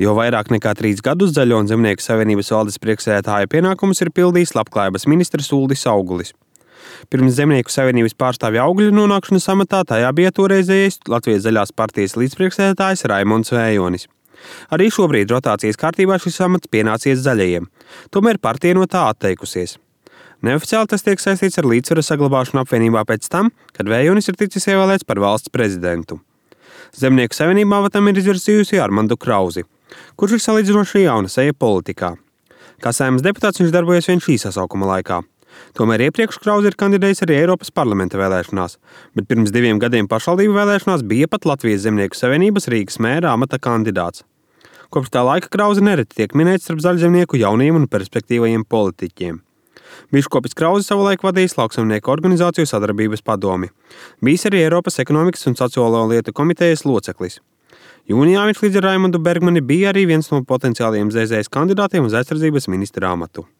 Jau vairāk nekā 3 gadus Zaļo un Zemnieku savienības valdes priekšsēdētāja pienākumus ir pildījis Labklājības ministrs Uldis Augulis. Pirms Zemnieku savienības pārstāvja Augļa nonākšanas amatā tajā bija toreizējais Latvijas Zaļās partijas līdzpriekšsēdētājs Raimonds Vējonis. Arī šobrīd rotācijas kārtībā šis amats pienācies Zaļajiem, tomēr partija no tā atteikusies. Neoficiāli tas tiek saistīts ar līdzsvara saglabāšanu apvienībā pēc tam, kad Vējonis ir ticis ievēlēts par valsts prezidentu. Zemnieku savienībā avatam ir izvirzījusi Armandu Krauzi, kurš ir salīdzinoši jauna seja politikā. Kā Saeimas deputāts viņš darbojas vien šī sasaukuma laikā. Tomēr iepriekš Krauzi ir kandidējis arī Eiropas parlamenta vēlēšanās, bet pirms 2 gadiem pašvaldību vēlēšanās bija pat Latvijas Zemnieku savienības Rīgas mēra amata kandidāts. Kopš tā laika Krauzi nereti tiek minēts starp zaļzemnieku jauniem un perspektīvajiem politiķiem. Biškopis Krauzi savulaik vadījis Lauksaimnieku organizāciju sadarbības padomi. Bijis arī Eiropas ekonomikas un sociālo lietu komitejas loceklis. Jūnijā viņš līdz ar Raimondu Bergmani bija arī viens no potenciālajiem ZZS kandidātiem uz aizsardzības ministra amatu.